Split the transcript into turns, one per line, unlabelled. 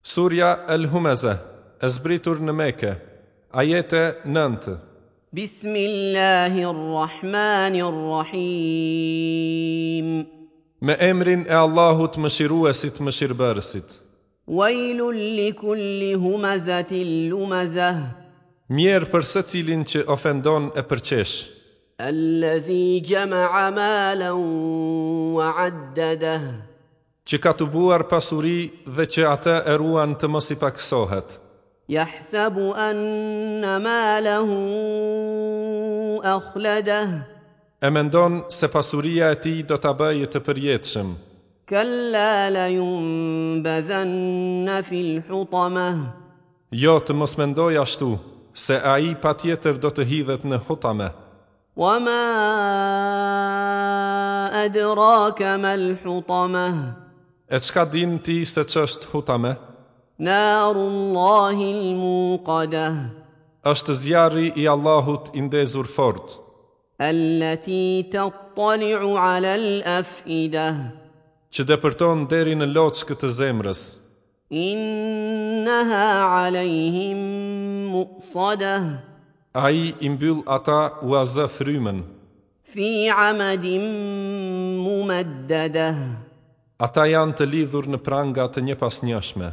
Surja El Humeze, e zbritur në Mekë, ajete 9.
Bismillahir Rahmanir Rahim.
Me emrin e Allahut Mëshiruesit Mëshirëbërësit.
Wailul likulli humazatin lumazah.
Mjerë për secilin që ofendon e përqesh.
Alladhi jama'a malan wa 'addadah.
Që ka tubuar pasuri dhe që atë e ruan të mos i pakësohet.
Yahsabu anna malahu akhladeh.
E mendon se pasuria e tij do ta bëjë të përjetshëm.
Kalla la yunbadhanna fil hutamah.
Jo, të mos mendojë ashtu, se ai patjetër do të hidhet në Hutame.
Wa ma adraka mal hutamah.
E çka din ti se ç'është Hutame?
Narullahi al-muqadah.
Është zjarri i Allahut i ndezur fort.
Allati tattali'u 'ala al-af'idah.
Që depërton deri në loçkë të zemrës.
Innaha 'alejhim mu'sadah.
Ai i mbyll ata ua zë frymën.
Fi 'amadin mumaddadah.
Ata janë të lidhur në pranga të njëpasnjëshme.